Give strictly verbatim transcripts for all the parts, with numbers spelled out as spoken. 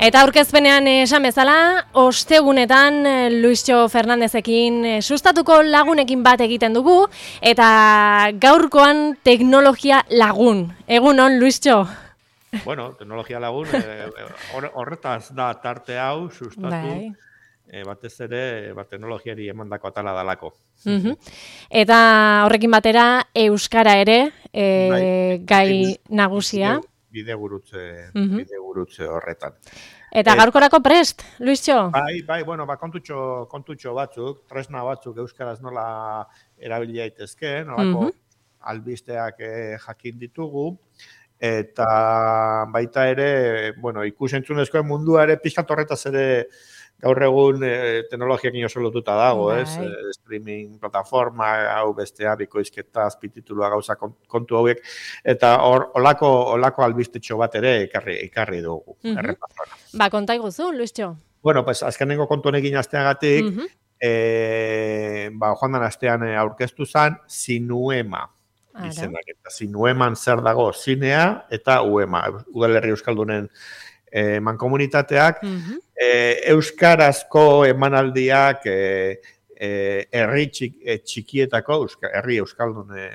Eta aurkezpenean esan bezala, ostegunetan Luistxo Fernandezekin sustatuko lagunekin bat egiten dugu, eta gaurkoan teknologia lagun. Egunon, Luistxo? Bueno, teknologia lagun, horretaz da tarte hau sustatu, Bai. e, batez ere ba, teknologiari emandako atala dalako. Uh-huh. Eta horrekin batera, euskara ere, e, Bai, gai nagusia. Bidegurutze, Uh-huh. bidegurutze horretan. Eta gaurkorako prest, Luistxo? Bai, bai, bueno, ba, kontutxo, kontutxo batzuk, tresna batzuk euskaraz nola erabili daitezke, nolako Uh-huh. albisteak eh, jakin ditugu, eta baita ere, bueno, ikusentzunezkoen mundua ere pixkat horretaz ere gaur egun eh, teknologiakin oso lotuta dago, Bai. ez? Eh, streaming plataforma, hau bestea, bikoizketa, azpititulua gauza kontu hauek, eta hor, olako, olako albistetxo bat ere ekarri, ekarri dugu. Uh-huh. Errepasora. Ba, konta iguzu, Luistxo? Bueno, pues azkenengo kontu honekin asteagatik, Uh-huh. eh, ba, joan den astean aurkeztu zen, Sinuema. Izenak, eta Sinueman zer dago, zinea eta uema, udalerri euskaldunen e, mankomunitateak, Uh-huh. e, euskarazko emanaldiak e, e, herri txik, e, txikietako, euska, herri euskaldun e,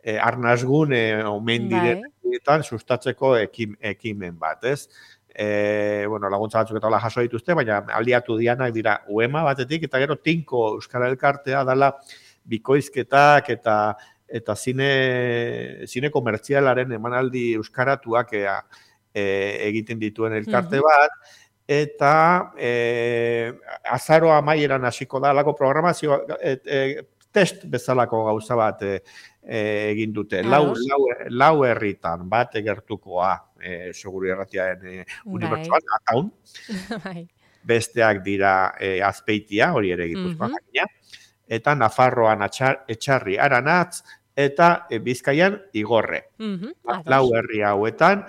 e, arnazgune omen direnetan sustatzeko ekim, ekimen bat, ez? E, bueno, laguntza batzuk eta hola jaso dituzte, baina aliatu dianak dira uema batetik, eta gero tinko euskara elkartea dala bikoizketak eta eta zine, zine komertzialaren emanaldi euskaratuak e, e, egiten dituen elkarte bat, eta e, azaro amaieran hasiko da, alako programazio, e, e, test bezalako gauza bat e, e, egin dute. Lau, lau, lau herritan bat egertukoa, e, seguru erratiaren e, unibertsuan, ataun. Besteak dira e, Azpeitia, hori ere Gipuzkoan jakina, eta Nafarroan atxar, etxarri aranatz, eta e, Bizkaian igorre. Uh-huh. Lau herri hauetan,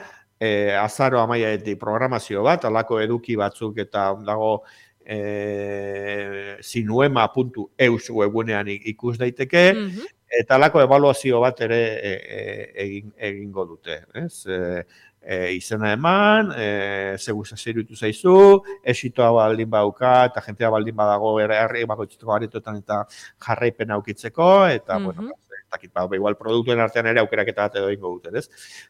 e, azaro amaiaetik programazio bat, alako eduki batzuk eta dago e, sinuema puntu eus webunean ikus daiteke, uh-huh. Eta alako evaluazio bat ere e, e, egin, egingo dute. Ez? E, e, izena eman, e, zegu zairutu zaizu, esitoa baldin bauka, eta jentea baldin badago herri bakoitzeko aretoetan eta jarraipen aukitzeko, eta, uh-huh. Bueno, takit, ba, igual produktuen artean ere aukeraketa bat edo ingo duten, ez?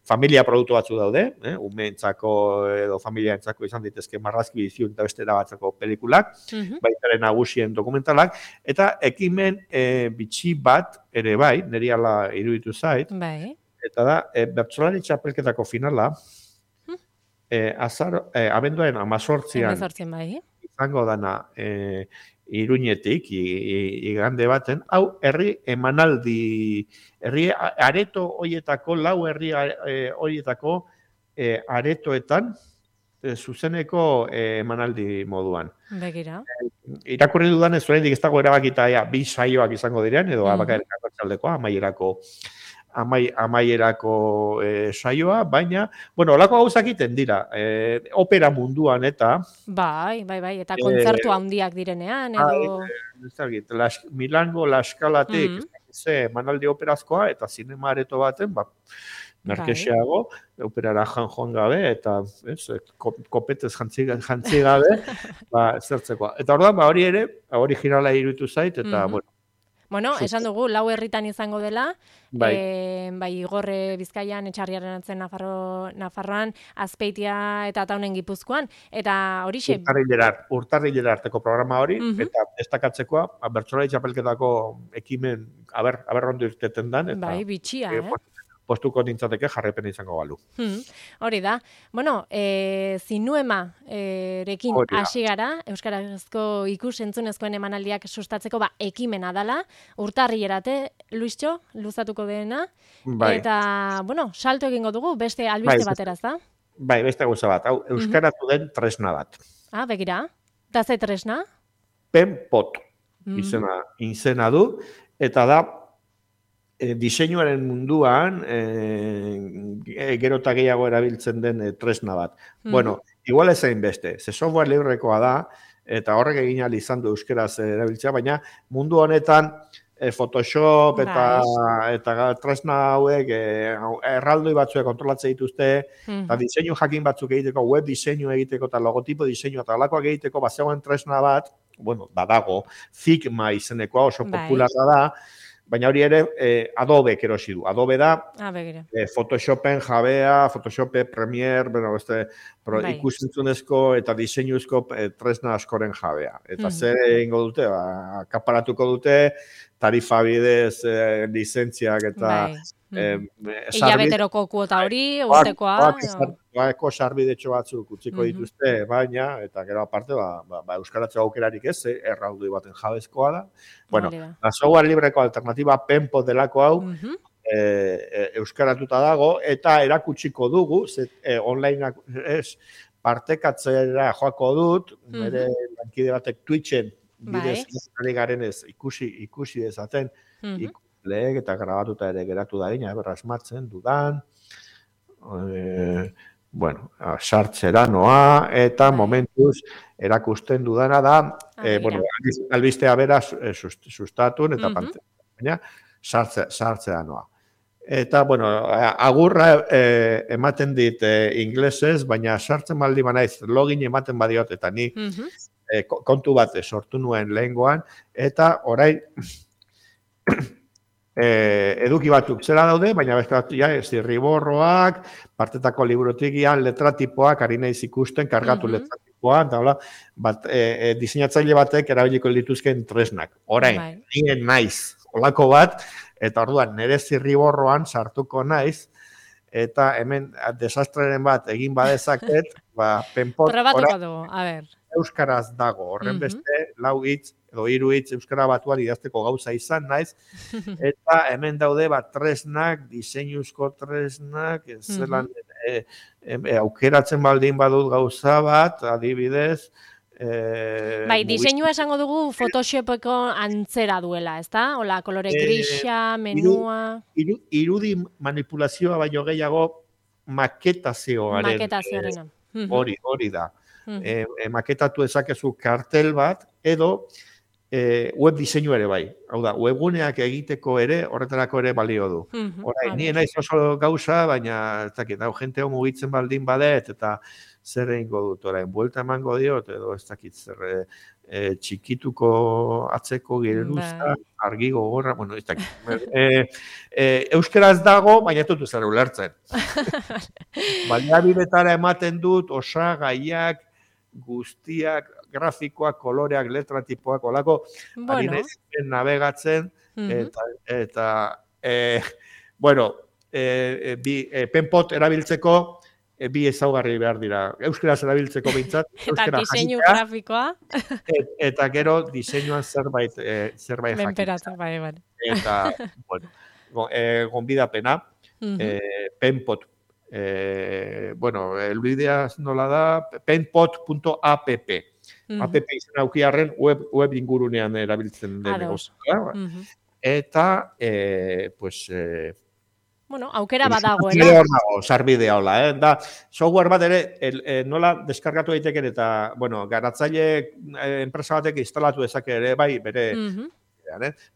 Familia produktu batzu daude, eh? Umeentzako edo familiaentzako izan ditezke marrazki biziun eta bestera batzako pelikulak, uh-huh. Baitaren nagusien dokumentalak, eta ekimen e, bitxi bat ere bai, niri ala iruditu zait, bai. Eta da, e, bertsolari txapelketako finala, uh-huh. e, azar, e, abenduaren amazortzian, bai. Izango dana, e, Iruñetik, igande baten, hau herri emanaldi, herri areto hoietako, lau herri hoietako e, aretoetan, e, zuzeneko e, emanaldi moduan. Begira. E, irakurri dudan ez oraindik ez dago erabakita ja, bi saioak izango diren, edo uh-huh. Abakaerako txaldekoa, amaierako Amai, amaierako e, saioa, baina, bueno, olako gauzak iten dira, e, opera munduan eta... Bai, bai, bai, eta kontzertu handiak direnean, edo... Bai, las, Milango, La Eskalatik, mm-hmm. ze, manaldi operazkoa, eta zinema areto baten, ba, merkexeago, bai. Operara jan joan gabe, eta ez, kopetez jantzi, jantzi gabe, ba, zertzekoa. Eta orduan, ba, hori ere, originala iruditu zait, eta, mm-hmm. bueno, Bueno, esan dugu, lau herritan izango dela, bai, e, bai Igorre Bizkaian, Etxarriaren atzen Nafarro, Nafarroan, Azpeitia eta Taunen Gipuzkoan, eta horixe... Urtarrilera arteko programa hori, uh-huh. Eta destakatzeko, bertsolari txapelketako ekimen, aber, aber ondo irteten dan, eta... Bai, bitxia, e, eh? Postuko nintzateke jarrepen izango balu. Hmm, hori da. Bueno, e, zinuema e, rekin hasi gara, euskarazko ikus entzunezkoen emanaldiak sustatzeko ba, ekimena dala, urtarrilerate, Luistxo, luzatuko dena, bai. Eta, bueno, salto egingo dugu, beste albiste bai, bateraz da? Bai, beste gauza bat, hau, euskaratu uh-huh. den tresna bat. Ah, begira, eta ze tresna? Penpot, uh-huh. izena, izena du, eta da, E, diseinuaren munduan e, gero eta gehiago erabiltzen den e, tresna bat. Mm-hmm. Bueno, igual ezain beste, ze software librekoa da, eta horrek egin ahal izan du euskeraz erabiltzea, baina mundu honetan Photoshop eta eta tresna hauek erraldoi batzuek kontrolatzen dituzte, eta diseinu jakin batzuk egiteko, web diseinu egiteko eta logotipo diseinu eta alakoak egiteko bazegoen tresna bat, bueno, badago, Figma izenekoa oso popularra da, baina hori ere Adobe erosi du. Adobe da Photoshopen jabea, Photoshop, Premiere, bueno, este ikusentzunezko eta diseinuzko tresna askoren jabea. Eta zer egingo dute, akaparatuko dute, tarifa bidez, lizentziak eta... Hilabeteroko kuota hori, urtekoa... Eko sarbidetxo batzuk utziko dituzte, baina, eta gero aparte, euskaratzeko aukerarik ez, erraldoi baten jabezkoa da. Bueno, la software libreko alternatiba Penpot delako hau, euskaratuta dago, eta erakutsiko dugu, online partekatzera joako dut, nire lankide batek Twitchen, bidez ari garen ez ikusi dezaten, ikuleek eta grabatuta ere geratu da dina, berra esmatzen dudan, bueno, sartzera noa, eta momentuz erakusten dudana da, bueno, albistea bera sustatun eta pantzen, sartzera noa. Eta, bueno, agurra ematen dit inglesez, baina sartzen baldi banaiz, login ematen badiot, eta ni kontu bat sortu nuen lehengoan, eta orain eduki batzuk zera daude, baina beste bat, zirriborroak, partetako librotigian, letratipoak, ari naiz ikusten, kargatu letratipoa, eta diseinatzaile batek erabiliko dituzken tresnak. Orain, nien naiz, olako bat, eta orduan, nire zirriborroan sartuko naiz, eta hemen desastreren bat egin badezaket, Penpot, euskaraz dago, horren beste, lau hitz, edo hiru hitz euskara batuan idazteko gauza izan naiz, eta hemen daude bat tresnak, diseinuzko tresnak, zelan aukeratzen baldin badut gauza bat, adibidez. Bai, diseinua esango dugu Photoshopeko antzera duela, ezta? Hola, kolore grisa, menua... Irudi manipulazioa baino gehiago maketazioaren. Maketazioarena. Hori, hori da. Maketatu ezakezu kartel bat, edo web diseinu ere bai. Hau da, webguneak egiteko ere, horretarako ere balio du. Horai, nien naiz oso gauza, baina, ez dakit, hau, jente hau mugitzen baldin badet, eta zer egingo dut, orain, buelta emango diot, edo ez dakit, zer txikituko atzeko geruza, argi gogorra, bueno, ez dakit. Euskaraz dago, baina tutu zer ulertzen. Baliabidetara ematen dut, osagaiak, guztiak, grafikoak, koloreak, letratipoak, olako, ari naizen navegatzen, eta, bueno, Penpot erabiltzeko, bi ezaugarri behar dira. Euskaraz erabiltzeko bintzat. Eta diseinu grafikoa. Eta gero diseinuan zerbait jakitzen. Menperatu, bai, bai. Eta, bueno, gonbidapena, Penpot, bueno, elbidea nola da, penpot punto app. App izan aukiarren web ingurunean erabiltzen den. Eta, pues... Bueno, aukera badagoela. Hor dago, sarbidea hola, eh? Da, software bat ere, nola deskargatu daiteken eta, bueno, garatzaile enpresa batek instalatu dezake ere, bai, bere...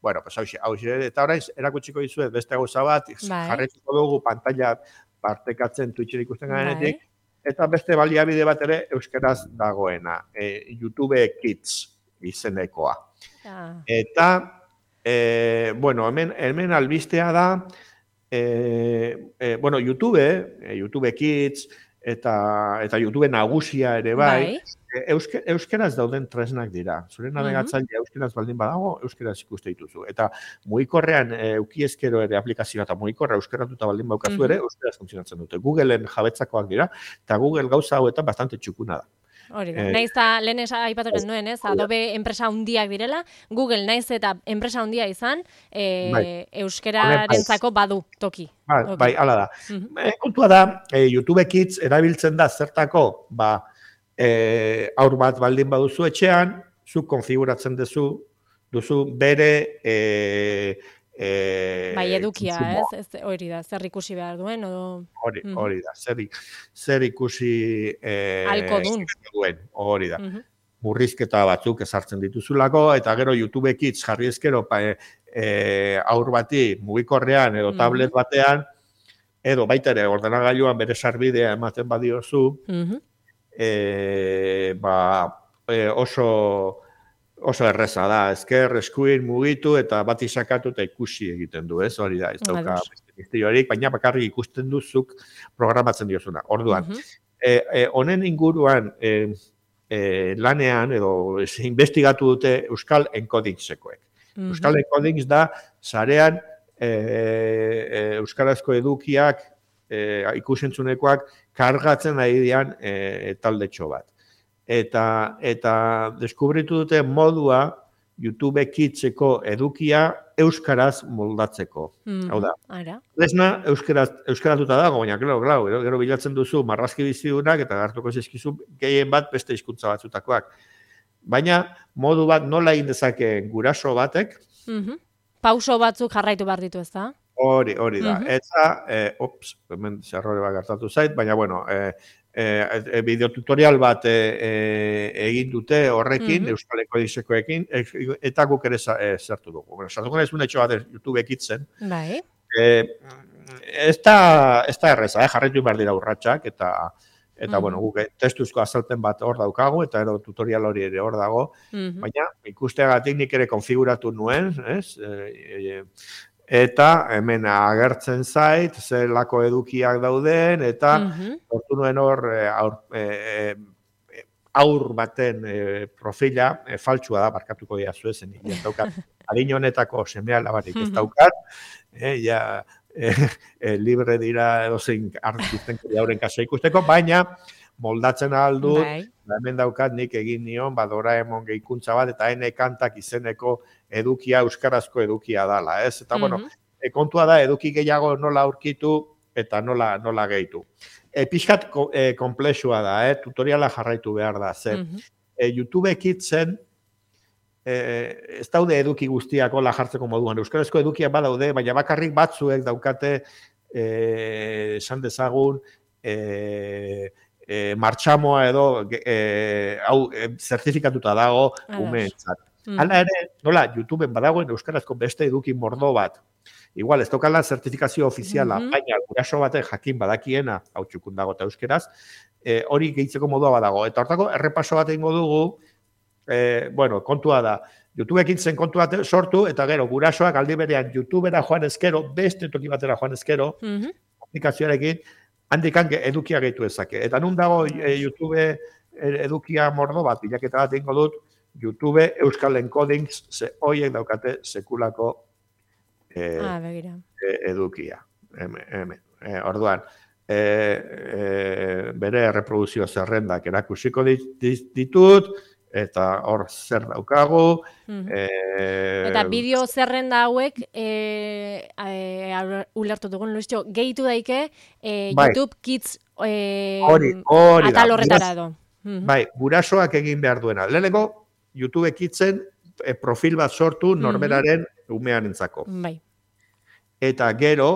Bueno, pues hau xire, eta orain erakutsiko dizuet beste gauza bat, jarretuko dugu pantalla partekatzen Twitchen ikusten garenetik, eta beste baliabide bat ere euskaraz dagoena, YouTube Kids izenekoa. Eta, bueno, hemen albistea da, bueno, YouTube, YouTube Kids, eta YouTube nagusia ere bai, euskeraz dauden tresnak dira. Zure navegatzailea euskeraz baldin badago, euskeraz ikuste dituzu. Eta mugikorrean eukiezkero ere aplikazioa eta mugikorra euskeratuta baldin baukazu ere, euskeraz funtzionatzen dute. Googleen jabetzakoak dira, eta Google gauza hauetan bastante txukuna da. Hori da. Naiz eta lehen aipatuko nuen, ez? Adobe enpresa handiak direla, Google naiz eta enpresa handia izan, euskerarentzako badu toki. Bai, hala da. Kontua da, YouTube Kids erabiltzen da zertako, ba, aur bat baldin baduzu etxean, zuk konfiguratzen duzu, duzu bere... Bai, edukia, ez? Hori da, zer ikusi behar duen, odo... Hori da, zer ikusi... Alko duen. Hori da. Murrizketa batzuk ezartzen dituzulako, eta gero YouTube Kids jarri ezkero e, aur bati mugikorrean edo tablet batean, edo baita ere ordenagailuan bere sarbidea ematen badiozu, mm-hmm. e, ba, e, oso... oso erreza da, ezker, eskuin, mugitu, eta bat izakatu eta ikusi egiten du, ez? Hori da, ez dauka misteriorik, baina bakarrik ikusten duzuk programatzen diozuna. Orduan, uh-huh. e, e, honen inguruan e, e, lanean, edo investigatu dute Euskal Encodingsekoek. Uh-huh. Euskal Encodings da, sarean e, e, euskarazko edukiak, e, ikusentzunekoak, kargatzen ari dian e, taldetxo bat. Eta, eta deskubritu dute modua YouTube Kidseko edukia euskaraz moldatzeko. Mm, Hau da, lesna euskaraz, euskaratuta dago, baina, klaro, klaro, gero, gero bilatzen duzu marrazki bizidunak eta gartuko zizkizu gehien bat beste hizkuntza batzutakoak. Baina, modu bat nola egin dezake guraso batek? Mm-hmm. Pauso batzuk jarraitu behar ditu, ez da? Hori, hori da. Mm-hmm. Eta, eh, ops, hemen zerrore bat gertatu zait, baina, bueno, eh, E, e, bideotutorial bat e, e, egin dute horrekin, mm-hmm. Euskal Encodingsekoekin, e, eta guk ere zertu dugu. Bueno, sartuko nahiz unetxo bat YouTube ekitzen. Bai. E, ez da, ez da erreza, eh? Jarraitu behar dira urratxak, eta, eta mm-hmm. bueno, guk testuzko azalpen bat hor daukagu, eta ero tutorial hori ere hor dago, mm-hmm. baina ikusteagatik nik ere konfiguratu nuen, ez? E, e, eta hemen agertzen zait, zelako edukiak dauden, eta hortu uh-huh. nuen hor aur, e, aur baten e, profila e, faltsua da, barkatuko dira zuezen, ez daukat, adin honetako semea labarik ez daukat, e, ja, e, e, libre dira edozein artisten horren kasa ikusteko, baina moldatzen aldu, hemen daukat nik egin nion, ba, Doraemon gehikuntza bat, eta ene kantak izeneko edukia, euskarazko edukia dala, ez? Eta, mm-hmm. bueno, e, kontua da, eduki gehiago nola aurkitu, eta nola, nola gehitu. E, pixkat e, komplexua da, eh? Tutoriala jarraitu behar da, ze. Mm-hmm. E, YouTube Kidsen, e, ez daude eduki guztiak hola jartzeko moduan, euskarazko edukiak badaude, baina bakarrik batzuek daukate, eh, esan dezagun, eh, E, martxamoa edo e, hau e, zertifikatuta dago umeentzat. Mm. Hala ere, nola, YouTubeen badagoen euskarazko beste eduki mordo bat. Igual, ez tokala zertifikazio ofiziala, mm-hmm. baina guraso batek jakin badakiena, hau txukun dago eta euskeraz, e, hori gehitzeko modua badago. Eta hortako, errepaso bat egingo dugu, e, bueno, kontua da, YouTubeekin zen kontua sortu, eta gero, gurasoak aldi berean YouTubera joan ezkero, beste toki batera joan ezkero, mm-hmm. aplikazioarekin, handikan edukia gehitu ezake. Eta nun dago e, YouTube edukia mordo bat, bilaketa bat ingo dut, YouTube Euskal Encodings, ze hoiek daukate sekulako e, ah, e, edukia. Hemen, hemen. E, orduan, e, e, bere reproduzio zerrendak erakusiko ditut, eta hor zer daukagu. Mm-hmm. e, eta bideo zerrenda hauek, e, e, ulertu dugun, Luistxo, gehitu daike e, bai. YouTube Kids e, hori, hori atal horretara edo. Mm-hmm. Bai, gurasoak egin behar duena. Leheneko, YouTube Kidsen e, profil bat sortu norberaren mm-hmm. umean entzako. Bai. Eta gero,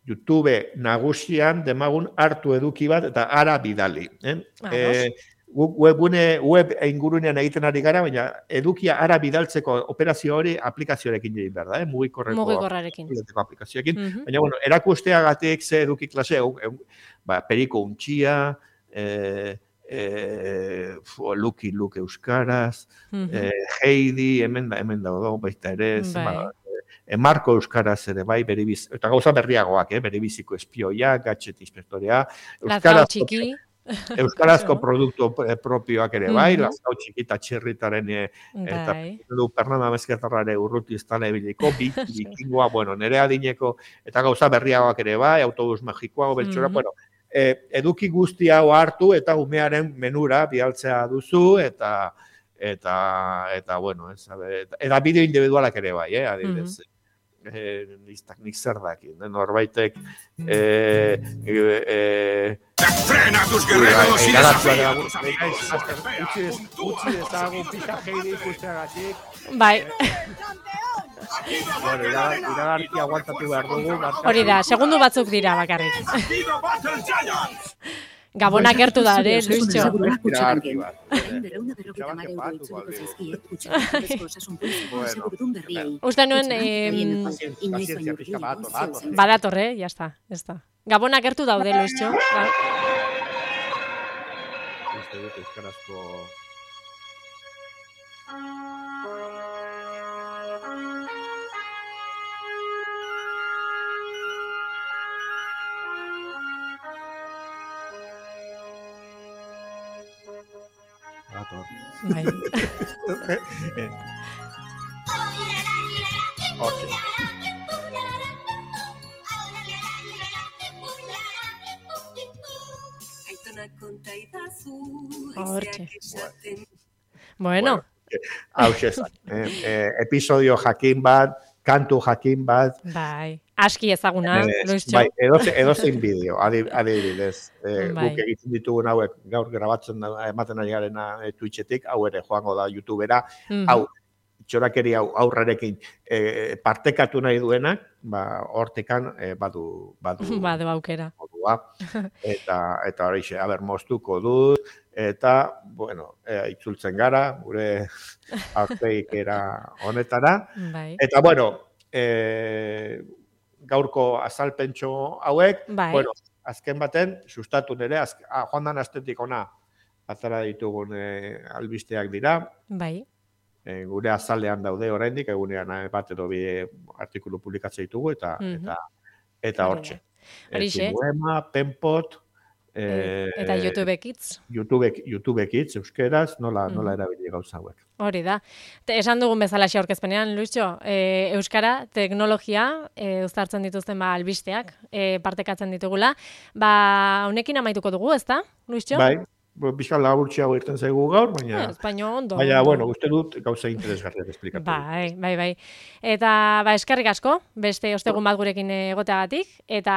YouTube nagusian demagun hartu eduki bat, eta ara bidali. Eh? E, webgune web ingurunean egiten ari gara, baina edukia ara bidaltzeko operazio hori aplikazioarekin egin behar da, eh? Mugikorreko Mugikorrarekin. aplikazioarekin. Mm-hmm. Baina, bueno, erakusteagatik ze eduki klase, ba, periko untxia, eh, eh, Luki Luke euskaraz, mm-hmm. eh, Heidi, hemen da, hemen da, baita ere, bai. Ba, E, Marko euskaraz ere bai, beribiz, eta gauza berriagoak, eh? Beribiziko espioia, gatxet inspektorea, euskaraz, txiki. Euskarazko produktu propioak ere bai, mm-hmm. lazkau txikita txirritaren e, eta du Pernanda Mezketarrare urruti ez tala ebiliko, bikingoa, bueno, nere adineko, eta gauza berriagoak ere bai, autobus magikoa, beltxora, mm-hmm. bueno, e, eduki guzti hau hartu eta umearen menura bialtzea duzu, eta eta, eta bueno, ez, eta, eta bideo individualak ere bai, eh, adibidez. Mm-hmm. Eh, listak nik zer daki, norbaitek eh, eh, frena tus guerreros y desafíos utzi dezagun pisa Heidi ikusteagatik. Bai. Bueno, iragarki aguantatu behar dugu. Hori da, segundu batzuk dira bakarrik. Gabona gertu da, ere, Luistxo. Uste nuen... Badatorre, jazta, ez da. Gabona gertu daude, Luistxo. Uste dut euskarazko... Bai. Hortxe. Hortxe. Bueno. Hau xezak. Episodio jakin bat, kantu jakin bat. Bai. Aski ezaguna, Luistxo. Bai, edozein bideo, adibidez. Guk egiten ditugun hauek gaur grabatzen ematen ari garena Twitchetik, hau ere joango da YouTubera, hau, txorakeri hau aurrarekin partekatu nahi duenak, hortekan badu... Badu aukera. Eta hori xe, haber, moztuko dut, eta, bueno, itzultzen gara, gure aurteikera honetara. Eta, bueno, gaurko azalpentxo hauek, bueno, azken baten, sustatu nire, joan dan astetik ona azara ditugun albisteak dira. Bai. Gure azalean daude oraindik, egunean bat edo bi artikulu publikatzea ditugu, eta hortxe. Horixe. Zinuema, Penpot, eta YouTubekitz. YouTubekitz, euskeraz, nola erabili gauza hauek. Hori da. Esan dugun bezala xe aurkezpenean, Luistxo, euskara, teknologia, uztartzen dituzten albisteak, partekatzen ditugula. Ba, honekin amaituko dugu, ezta, Luistxo? Bai, bizka laburtxe hau irten zaigu gaur, baina... Baina ondo. Baina, bueno, uste dut gauza interesgarriak esplikatu. Bai, bai, bai. Eta, ba, eskerrik asko, beste ostegun bat gurekin egoteagatik, eta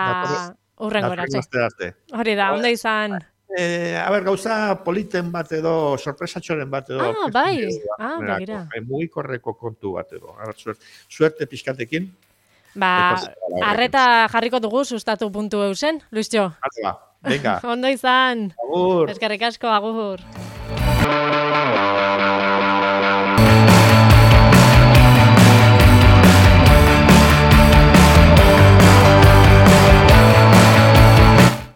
hurrengo eratxe. Hori da, ondo izan... A ber, gauza politen bat edo, sorpresatxoren bat edo... Ah, bai, ah, begira. Mugikorreko kontu bat edo. Suerte pixkatekin. Ba, arreta jarriko dugu sustatu puntu eusen, Luistxo. Venga. Ondo izan. Agur. Eskerrik asko, agur.